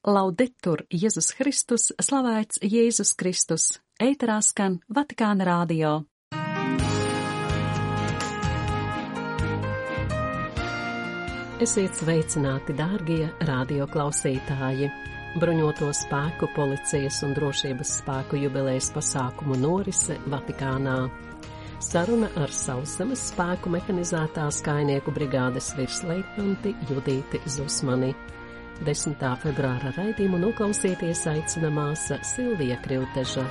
Laudetur Jēzus Kristus, slavēts Jēzus Kristus, ēterā skan Vatikāna radio. Esiet sveicināti, dārgie radioklausītāji! Bruņoto spēku, policijas un drošības spēku jubilejas pasākumu norise Vatikānā. Saruna ar Sauszemes spēku mehanizētās kainieku brigādes virsleitnanti Judīti Zusmani. 10. februāra raidījumu noklausīties aicina māsa Silvija Krilteža.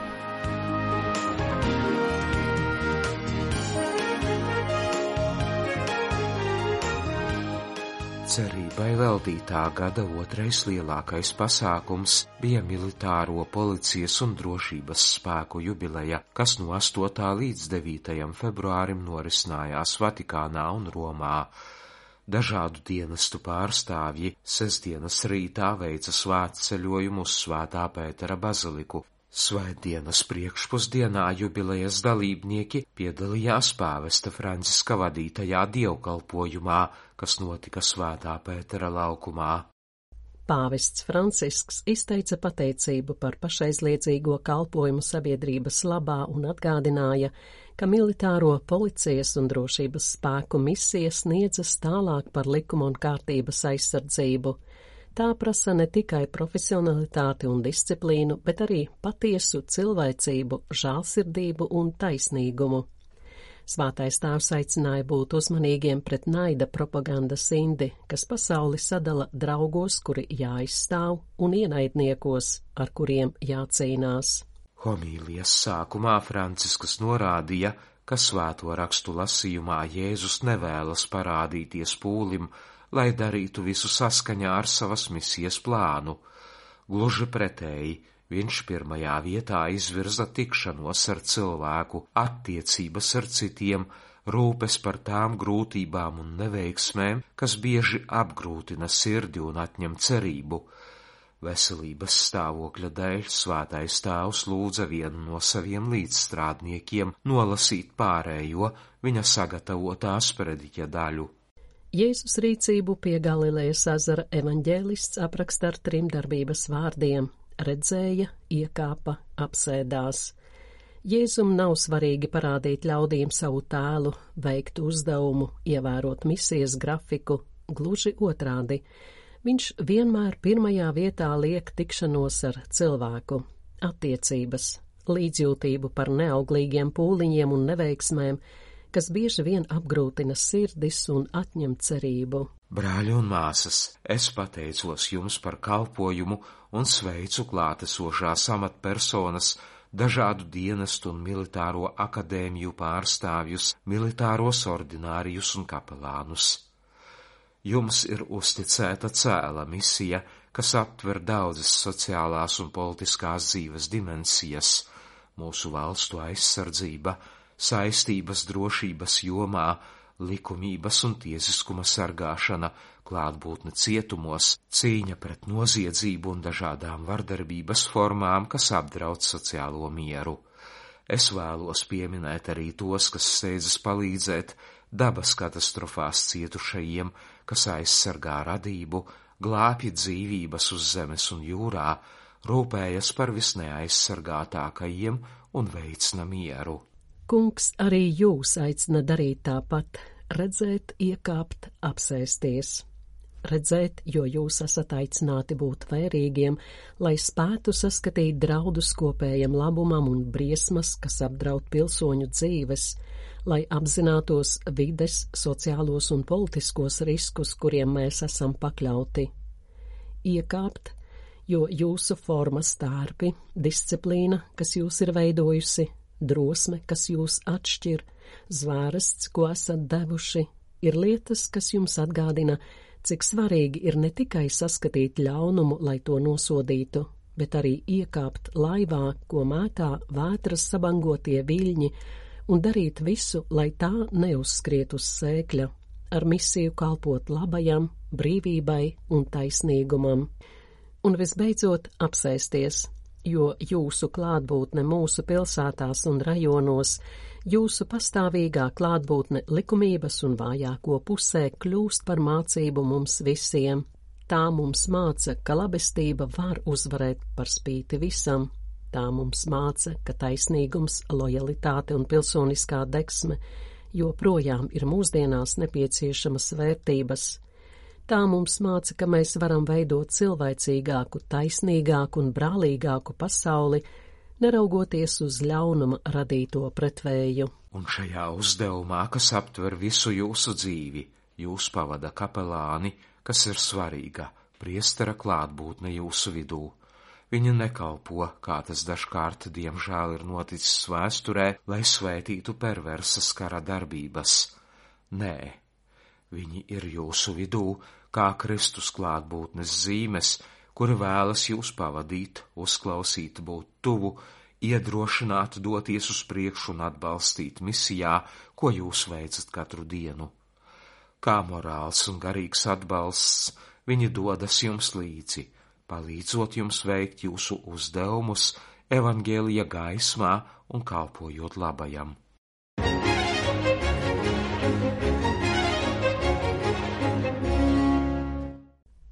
Cerībai veltītā gada otrais lielākais pasākums bija militāro policijas un drošības spēku jubileja, kas no 8. līdz 9. februārim norisinājās Vatikānā un Romā. Dažādu dienestu pārstāvji sestdienas rītā veica svētceļojumu uz Svētā Pētera baziliku. Svētdienas priekšpusdienā jubilejas dalībnieki piedalījās pāvesta Franciska vadītajā dievkalpojumā, kas notika Svētā Pētera laukumā. Pāvests Francisks izteica pateicību par pašaizliedzīgo kalpojumu sabiedrības labā un atgādināja, ka militāro policijas un drošības spēku misija sniedzas tālāk par likuma un kārtības aizsardzību. Tā prasa ne tikai profesionalitāti un disciplīnu, bet arī patiesu cilvēcību, žēlsirdību un taisnīgumu. Svētais tēvs aicināja būt uzmanīgiem pret naida propagandas indi, kas pasauli sadala draugos, kuri jāizstāv, un ienaidniekos, ar kuriem jācīnās. Homīlijas sākumā Francisks norādīja, ka svēto rakstu lasījumā Jēzus nevēlas parādīties pūlim, lai darītu visu saskaņā ar savas misijas plānu. Gluži pretēji, viņš pirmajā vietā izvirza tikšanos ar cilvēku, attiecības ar citiem, rūpes par tām grūtībām un neveiksmēm, kas bieži apgrūtina sirdi un atņem cerību. Veselības stāvokļa dēļ svētais tēvs lūdza vienu no saviem līdzstrādniekiem nolasīt pārējo viņa sagatavotā sprediķa daļu. Jēzus rīcību pie Galilejas ezera evaņģēlists apraksta ar 3 darbības vārdiem – redzēja, iekāpa, apsēdās. Jēzum nav svarīgi parādīt ļaudīm savu tēlu, veikt uzdevumu, ievērot misijas grafiku, gluži otrādi. Viņš vienmēr pirmajā vietā liek tikšanos ar cilvēku, attiecības, līdzjūtību par neauglīgiem pūliņiem un neveiksmēm, kas bieži vien apgrūtina sirdis un atņem cerību. Brāļi un māsas, es pateicos jums par kalpojumu un sveicu klātesošās amatpersonas, dažādu dienestu un militāro akadēmiju pārstāvjus, militāros ordinārijus un kapelānus. Jums ir uzticēta cēla misija, kas aptver daudzas sociālās un politiskās dzīves dimensijas, mūsu valstu aizsardzība, saistības drošības jomā, likumības un tiesiskuma sargāšana, klātbūtne cietumos, cīņa pret noziedzību un dažādām vardarbības formām, kas apdraud sociālo mieru. Es vēlos pieminēt arī tos, kas steidzas palīdzēt dabas katastrofās cietušajiem, kas aizsargā radību, glābj dzīvības uz zemes un jūrā, rūpējas par visneaizsargātākajiem un veicina mieru. Kungs arī jūs aicina darīt tāpat, redzēt, iekāpt, apsēsties. Redzēt, jo jūs esat aicināti būt vērīgiem, lai spētu saskatīt draudus kopējam labumam un briesmas, kas apdraud pilsoņu dzīves, lai apzinātos vides, sociālos un politiskos riskus, kuriem mēs esam pakļauti. Iekāpt, jo jūsu formas tārpi, disciplīna, kas jūs ir veidojusi, drosme, kas jūs atšķir, zvērsts, ko esat devuši, ir lietas, kas jums atgādina, cik svarīgi ir ne tikai saskatīt ļaunumu, lai to nosodītu, bet arī iekāpt laivā, ko mētā vētras sabangotie viļņi, un darīt visu, lai tā neuzskriet uz sēkļa, ar misiju kalpot labajam, brīvībai un taisnīgumam. Un visbeidzot apsēsties, jo jūsu klātbūtne mūsu pilsētās un rajonos, jūsu pastāvīgā klātbūtne likumības un vājāko pusē kļūst par mācību mums visiem. Tā mums māca, ka labestība var uzvarēt par spīti visam. Tā mums māca, ka taisnīgums, lojalitāte un pilsoniskā degsme joprojām ir mūsdienās nepieciešamas vērtības. Tā mums māca, ka mēs varam veidot cilvēcīgāku, taisnīgāku un brālīgāku pasauli, neraugoties uz ļaunuma radīto pretvēju. Un šajā uzdevumā, kas aptver visu jūsu dzīvi, jūs pavada kapelāni, kas ir svarīga, priestera klātbūtne jūsu vidū. Viņa nekalpo, kā tas dažkārt diemžēl ir noticis vēsturē, lai svētītu perversas kara darbības. Nē, viņi ir jūsu vidū, kā Kristus klātbūtnes zīmes, kuri vēlas jūs pavadīt, uzklausīt, būt tuvu, iedrošināt, doties uz priekšu un atbalstīt misijā, ko jūs veicat katru dienu. Kā morāls un garīgs atbalsts, viņi dodas jums līdzi, palīdzot jums veikt jūsu uzdevumus evaņģēlija gaismā un kalpojot labajam.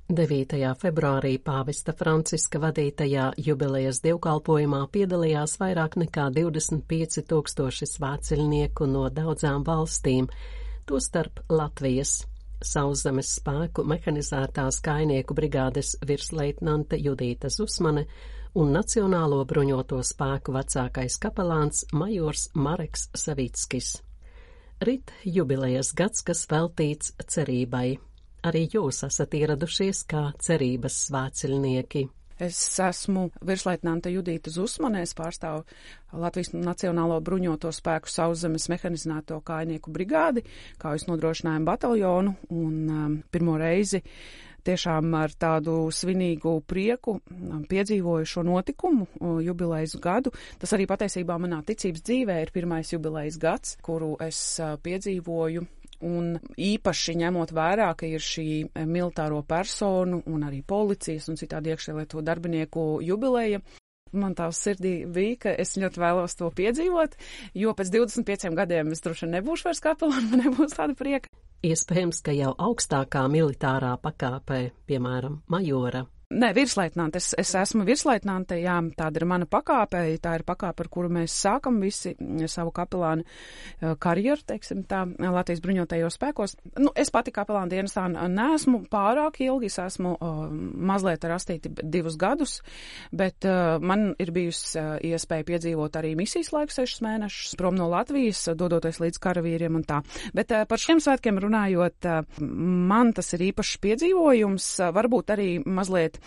9. februārī pāvesta Franciska vadītajā jubilejas dievkalpojumā piedalījās vairāk nekā 25 000 svētceļnieku no daudzām valstīm, tostarp Latvijas. Sauszemes spēku mehanizētās kājnieku brigādes virsleitnante Judīta Zusmane un Nacionālo bruņoto spēku vecākais kapelāns majors Mareks Savickis. Rit jubilejas gads, kas veltīts cerībai. Arī jūs esat ieradušies kā cerības svētceļnieki. Es esmu virsleitnante Judīta Zusmane, es pārstāvu Latvijas Nacionālo bruņoto spēku sauszemes mehanizēto kājnieku brigādi, kaujas nodrošinājumu bataljonu, un pirmo reizi tiešām ar tādu svinīgu prieku piedzīvoju šo notikumu, jubilejas gadu. Tas arī patiesībā manā ticības dzīvē ir pirmais jubilejas gads, kuru es piedzīvoju. Un īpaši ņemot vērā, ka ir šī militāro personu un arī policijas un citādi iekšlietu darbinieku jubileja, man tā uz sirdī bija, ka es ļoti vēlos to piedzīvot, jo pēc 25 gadiem es droši nebūšu vairs kapelāna, man nebūs tāda prieka. Iespējams, ka jau augstākā militārā pakāpē, piemēram, majora. Nē, virsleitnante. Es esmu virsleitnante, jā, tāda ir mana pakāpe, tā ir pakāpe, ar kuru mēs sākam visi savu kapelānu karjeru, teiksim tā, Latvijas bruņotajos spēkos. Es pati kapelāna dienestā neesmu pārāk ilgi, es esmu mazliet ar astīti 2 gadus, bet man ir bijusi iespēja piedzīvot arī misijas laiku 6 mēnešus prom no Latvijas, dodoties līdz karavīriem un tā. Bet par šiem svētkiem runājot, man tas ir īpašs piedzīvojums, varbūt arī mazliet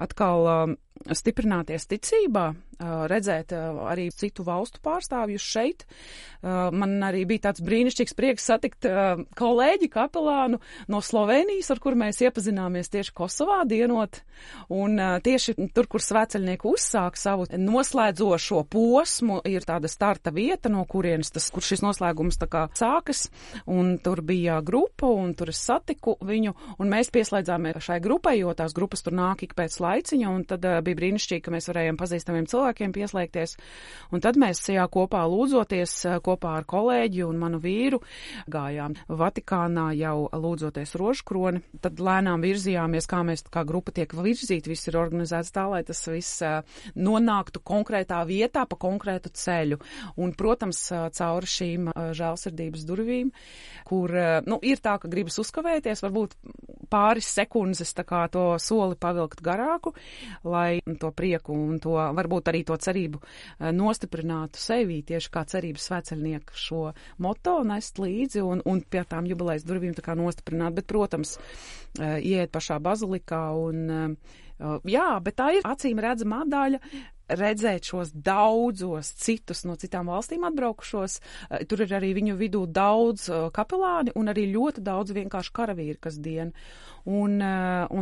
atkal stiprināties ticībā, redzēt arī citu valstu pārstāvjus šeit. Man arī bija tāds brīnišķīgs prieks satikt kolēģi kapelānu no Slovenijas, ar kur mēs iepazināmies tieši Kosovā dienot. Un tieši tur, kur svētceļnieki uzsāk savu noslēdzošo posmu, ir tāda starta vieta, no kurienes kur šis noslēgums tā kā sākas. Un tur bija grupa, un tur es satiku viņu, un mēs pieslēdzāmies šai grupai, jo tās grupas tur nāk ik pēc laiciņa, un tad bija brīnišķīgi, ka mēs varējām pazīstamiem cilvēkiem pieslēgties. Un tad mēs tajā kopā lūdzoties, kopā ar kolēģi un manu vīru, gājām Vatikānā jau lūdzoties rožkroni. Tad lēnām virzījāmies, kā mēs kā grupa tiek virzīti, viss ir organizēts tā, lai tas viss nonāktu konkrētā vietā pa konkrētu ceļu. Un, protams, cauri šīm žēlsirdības durvīm, kur, ir tā, ka gribas uzkavēties, varbūt pāris sekundes tā kā to soli pavilkt garāku, lai to prieku un to, varbūt arī to cerību nostiprinātu sevī, tieši kā cerības svētceļnieku šo moto nest līdzi un pie tām jubilejas durvīm tā kā nostiprināt, bet, protams, ieiet pašā bazilikā un, bet tā ir acīm redzamā daļa, redzēt šos daudzos citus no citām valstīm atbraukušos. Tur ir arī viņu vidū daudz kapelāni un arī ļoti daudz vienkārši karavīri, kas dien. Un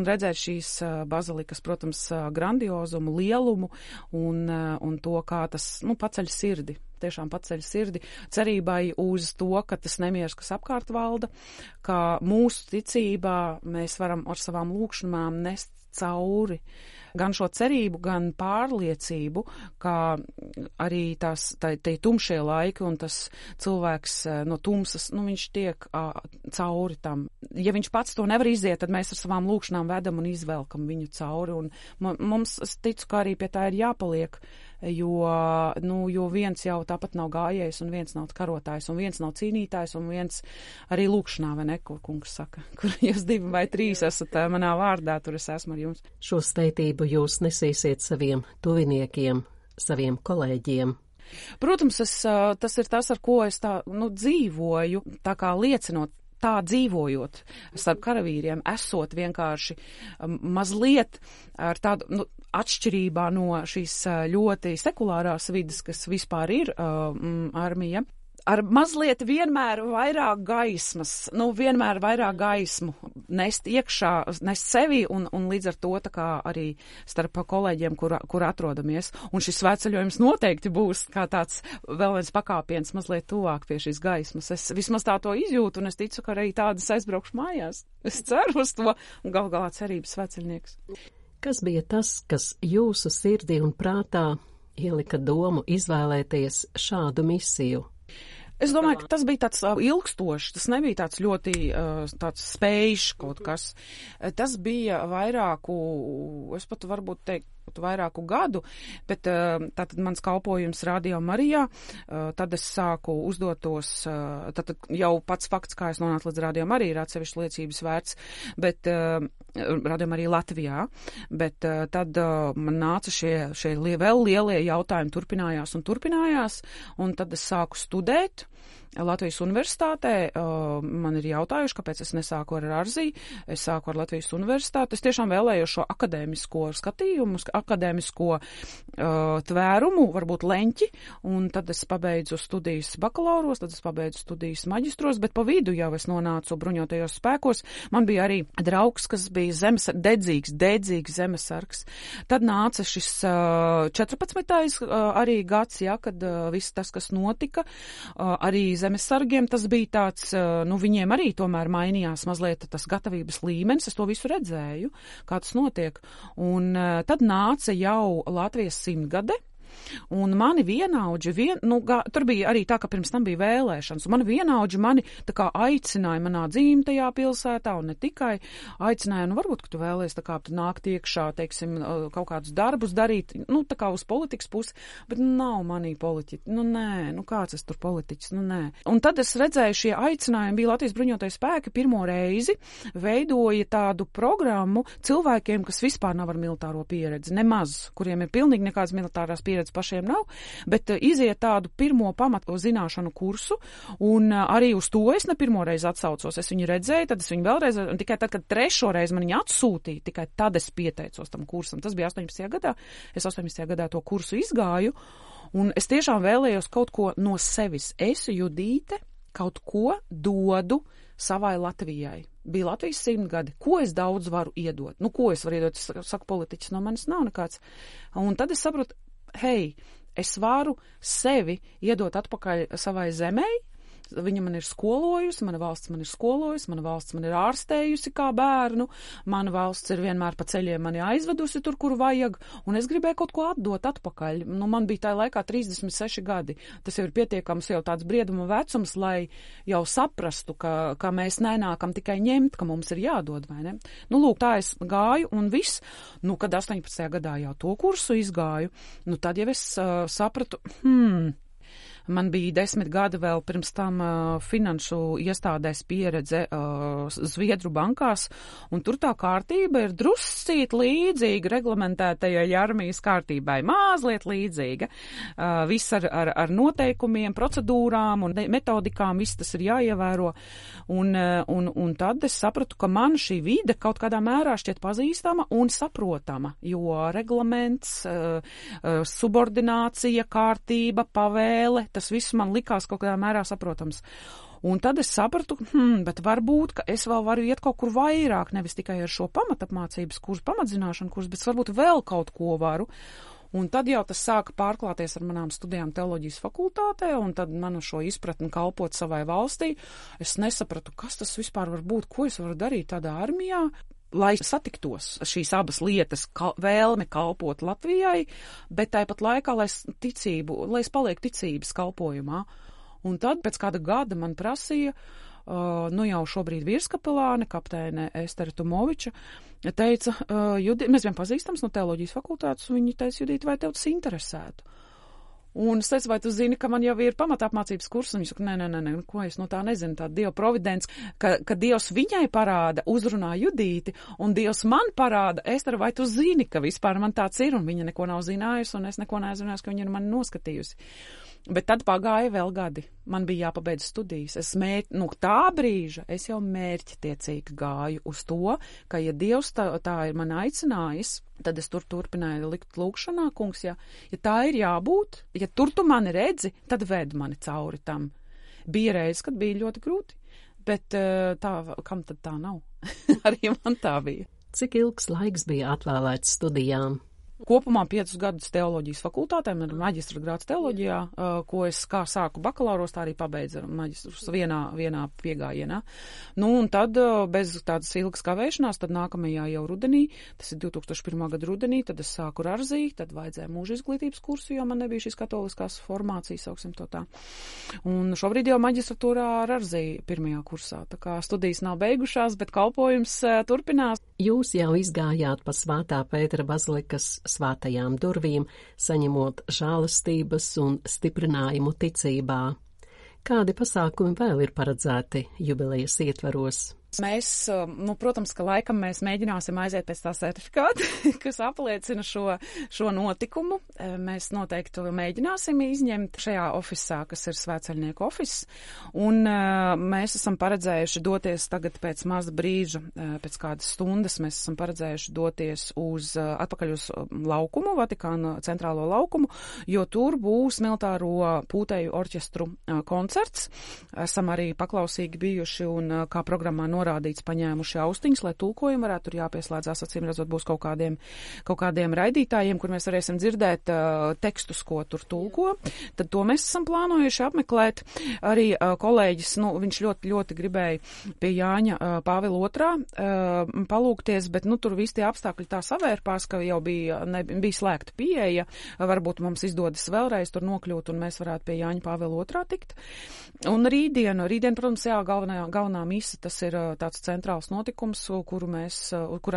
redzēt šīs bazilikas, protams, grandiozumu, lielumu un to, kā tas, paceļ sirdi. Tiešām paceļ sirdi cerībai uz to, ka tas nemieris, kas apkārt valda, ka mūsu ticībā mēs varam ar savām lūkšanām nest cauri gan šo cerību, gan pārliecību, ka arī tie tumšie laiki un tas cilvēks no tumsas, viņš tiek cauri tam. Ja viņš pats to nevar iziet, tad mēs ar savām lūkšanām vedam un izvelkam viņu cauri. Un mums, es ticu, ka arī pie tā ir jāpaliek, jo viens jau tāpat nav gājējs, un viens nav karotājs, un viens nav cīnītājs, un viens arī lūkšanā, vai ne, kur kungs saka, kur jūs 2 vai 3 esat manā vārdā, tur es esmu ar jums. Šo svētību jūs nesīsiet saviem tuviniekiem, saviem kolēģiem. Protams, tas ir tas, ar ko es tā, dzīvoju, tā kā liecinot, tā dzīvojot starp karavīriem, esot vienkārši mazliet ar tādu, atšķirībā no šīs ļoti sekulārās vidas, kas vispār ir armija, ar mazliet vienmēr vairāk gaismas, vienmēr vairāk gaismu nest iekšā, nest sevi un līdz ar to tā kā arī starp kolēģiem, kur atrodamies. Un šis svētceļojums noteikti būs kā tāds vēl viens pakāpiens mazliet tuvāk pie šīs gaismas. Es vismaz tā to izjūtu un es ticu, ka arī tādas aizbraukšu mājās. Es ceru uz to un gal galā cerības svētceļnieks. Kas bija tas, kas jūsu sirdī un prātā ielika domu izvēlēties šādu misiju? Es domāju, ka tas bija tāds ilgstošs, tas nebija tāds ļoti tāds spējš kaut kas. Tas bija es pat varbūt teikt, vairāku gadu, bet tātad mans kalpojums Radio Marijā, tad es sāku uzdotos, tātad jau pats fakts, kā es nonācu līdz Radio Marija, ir atsevišķi liecības vērts, bet Radio Marija Latvijā, bet tad man nāca šie vēl lielie jautājumi turpinājās, un tad es sāku studēt Latvijas universitātē. Man ir jautājuši, kāpēc es nesāku ar Arzī, es sāku ar Latvijas universitāti. Es tiešām vēlējos šo akadēmisko skatījumu, akadēmisko tvērumu, varbūt leņķi, un tad es pabeidzu studijas bakalauros, tad es pabeidzu studijas maģistros, bet pa vidu jau es nonācu bruņotajos spēkos. Man bija arī draugs, kas bija dedzīgs zemesargs. Tad nāca šis 14. Arī gads, kad viss tas, kas notika, arī zemesargiem, tas bija tāds, viņiem arī tomēr mainījās mazliet tas gatavības līmenis, es to visu redzēju, kā tas notiek. Un tad nāca jau Latvijas 100-gade, un mani vienaudži, tur bija arī tā, ka pirms tam bija vēlēšanas, un mani vienaudži tā kā aicināja manā dzimtajā pilsētā, un ne tikai aicināja, varbūt, ka tu vēlies tā kā nākt iekšā, teiksim, kaut kādus darbus darīt, tā kā uz politikas pusi, bet nav manī politiķi, kāds es tur politiķis, nē. Un tad es redzēju, šie aicinājumi bija Latvijas bruņotais spēki pirmo reizi veidoja tādu programmu cilvēkiem, kas vispār nav ar militāro pieredzi, nemaz, kuriem ir pilnīgi nekādas militārās pieredzes pašiem nav, bet iziet tādu pirmo pamatu zināšanu kursu, un arī uz to es ne pirmo reizi atsaucos. Es viņu redzēju, tad es viņu vēlreiz, un tikai tad, kad 3. reizi man viņu atsūtīja, tikai tad es pieteicos tam kursam. Tas bija 18. gadā. Es 18. gadā to kursu izgāju, un es tiešām vēlējos kaut ko no sevis. Es, Judīte, kaut ko dodu savai Latvijai. Bija Latvijas 100 gadi. Ko es daudz varu iedot? Ko es varu iedot? Es saku, politiķis no manis nav nekāds. Un tad es saprotu, es varu sevi iedot atpakaļ savai zemei. Viņa man ir skolojusi, mana valsts man ir skolojusi, mana valsts man ir ārstējusi kā bērnu, mana valsts ir vienmēr pa ceļiem mani aizvedusi tur, kur vajag, un es gribēju kaut ko atdot atpakaļ. Man bija tajā laikā 36 gadi. Tas jau ir pietiekams jau tāds brieduma vecums, lai jau saprastu, ka mēs nenākam tikai ņemt, ka mums ir jādod, vai ne? Lūk, tā es gāju, un viss, kad 18. gadā jau to kursu izgāju, tad jau es sapratu, Man bija 10 gadi vēl pirms tam finanšu iestādēs pieredze Zviedru bankās, un tur tā kārtība ir druscīt līdzīga reglamentētajai armijas kārtībai, mazliet līdzīga. Viss ar noteikumiem, procedūrām un metodikām, viss tas ir jāievēro. Un tad es sapratu, ka man šī vide kaut kādā mērā šķiet pazīstama un saprotama, jo reglaments, subordinācija, kārtība, pavēle, tas viss man likās kaut kādā mērā saprotams. Un tad es sapratu, bet varbūt, ka es vēl varu iet kaut kur vairāk, nevis tikai ar šo pamatapmācības kursu, pamatzināšanu kursu, bet varbūt vēl kaut ko varu. Un tad jau tas sāka pārklāties ar manām studijām teoloģijas fakultātē, un tad manu šo izpratni kalpot savai valstī. Es nesapratu, kas tas vispār var būt, ko es varu darīt tādā armijā. lai satiktos šīs abas lietas, vēlme kalpot Latvijai, bet tāpat laikā, lai es palieku ticības kalpojumā. Un tad pēc kāda gada man prasīja, jau šobrīd virskapelāne, kapteine Estere Tumoviča, teica, mēs vien pazīstams no teoloģijas fakultātes, un viņi teica, Judīte, vai tev tas interesētu? Un es teicu, vai tu zini, ka man jau ir pamatapmācības kurs, un viņš saka, nē, ko es no tā nezinu, tā Dieva providence, ka Dievs viņai parāda, uzrunā Judīti, un Dievs man parāda, Estere, vai tu zini, ka vispār man tāds ir, un viņa neko nav zinājusi, un es neko neaizrunājusi, ka viņa ir mani noskatījusi. Bet tad pagāja vēl gadi. Man bija jāpabeidz studijas. Tā brīža es jau mērķtiecīgi gāju uz to, ka, ja Dievs tā ir man aicinājis, tad es turpināju likt lūkšanā, kungs, ja tā ir jābūt, ja tur tu mani redzi, tad ved mani cauri tam. Bija reizes, kad bija ļoti grūti, bet kam tad tā nav? Arī man tā bija. Cik ilgs laiks bija atvēlēts studijām? Kopumā 5 gadus teoloģijas fakultātēm ar maģistra grāds teoloģijā, ko es kā sāku bakalauros, tā arī pabeidzu maģistrus vienā piegājienā. Un tad bez tādas ilgas kavēšanās, tad nākamajā jau rudenī, tas ir 2001. Gada rudenī, tad es sāku Rarzī, tad vajadzēja mūža izglītības kursu, jo man nebija šīs katoliskās formācijas, sauksim to tā. Un šobrīd jau maģistratūrā Rarzī 1. kursā, tā kā studijas nav beigušās, bet kalpojums turpinās. Jūs jau izgājāt pa Svētā Pētera bazilikas svētajām durvīm, saņemot žēlastības un stiprinājumu ticībā. Kādi pasākumi vēl ir paredzēti jubilejas ietvaros? Mēs, protams, ka laikam mēs mēģināsim aiziet pēc tā certifikāta, kas apliecina šo notikumu. Mēs noteikti mēģināsim izņemt šajā ofisā, kas ir svētceļnieku ofis, un mēs esam paredzējuši doties tagad pēc maza brīža, pēc kādas stundas, mēs esam paredzējuši doties atpakaļ uz laukumu, Vatikāna centrālo laukumu, jo tur būs militāro pūtēju orķestru koncerts. Esam arī paklausīgi bijuši un kā programmā norādīts, paņēmuši austiņas, lai tulkojumi varētu tur jāpieslēdzās, acīm redzot, būs kaut kādiem raidītājiem, kur mēs varēsim dzirdēt tekstus, ko tur tulko. Tad to mēs esam plānojuši apmeklēt. Arī kolēģis, viņš ļoti gribēja pie Jāņa Pāvila II palūgties, bet tur visi tie apstākļi tā savērpās, ka jau bija slēgta pieeja. Varbūt mums izdodas vēlreiz tur nokļūt, un mēs varētu pie Jāņa Pāvila II tikt. Un rītdien, protams, galvenā mise, tas ir tāds centrāls notikums, kurā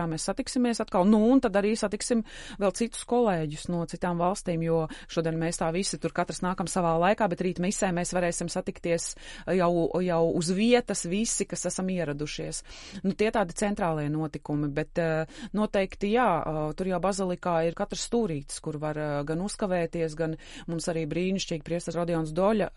mēs satiksimies atkal. Un tad arī satiksim vēl citus kolēģus no citām valstīm, jo šodien mēs tā visi tur katrs nākam savā laikā, bet rīt misē mēs varēsim satikties jau uz vietas visi, kas esam ieradušies. Tie tādi centrālie notikumi, bet noteikti, tur jau bazilikā ir katrs stūrītis, kur var gan uzkavēties, gan mums arī brīnišķīgi priesteris Rodions Doļa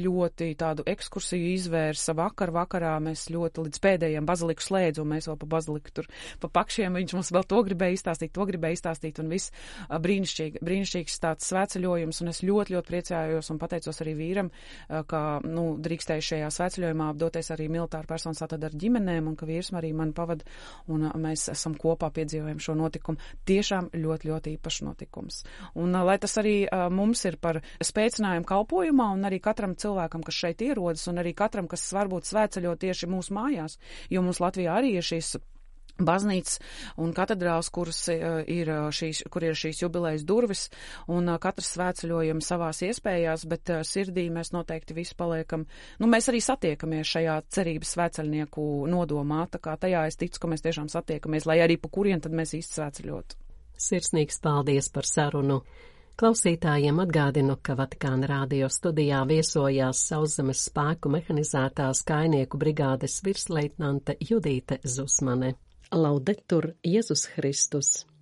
ļoti tādu ekskursiju izvērsa vakarā. Mēs ļoti līdz pēdējiem baziliku slēdzu, un mēs vēl pa baziliku tur pa pakšiem, viņš mums vēl to gribēja izstāstīt, un viss brīnišķīgs tāds svētceļojums, un es ļoti priecājos un pateicos arī vīram, ka, drīkstēju šajā svētceļojumā apdoties arī militāru personas tātad ar ģimenēm, un ka vīrs arī mani pavada, un mēs esam kopā piedzīvojam šo notikumu. Tiešām ļoti īpašs notikums. Un lai tas arī mums ir par spēcinājumu kalpojumā, un arī katram cilvēkam, kas šeit ierodas, un arī katram, kas varbūt svētceļo tieši mūsu mājās, jo mums Latvijā arī ir šīs baznīcas un katedrāls, kur ir šīs jubilejas durvis, un katrs svētceļojam savās iespējās, bet sirdī mēs noteikti visi paliekam. Mēs arī satiekamies šajā cerības svētceļnieku nodomā, tā kā tajā es ticu, ka mēs tiešām satiekamies, lai arī pa kurien tad mēs īsti svētceļotu. Sirsnīgs paldies par sarunu. Klausītājiem atgādinu, ka Vatikāna radio studijā viesojās Sauszemes spēku mehanizētās kājnieku brigādes virsleitnante Judīte Zusmane. Laudetur Jēzus Kristus!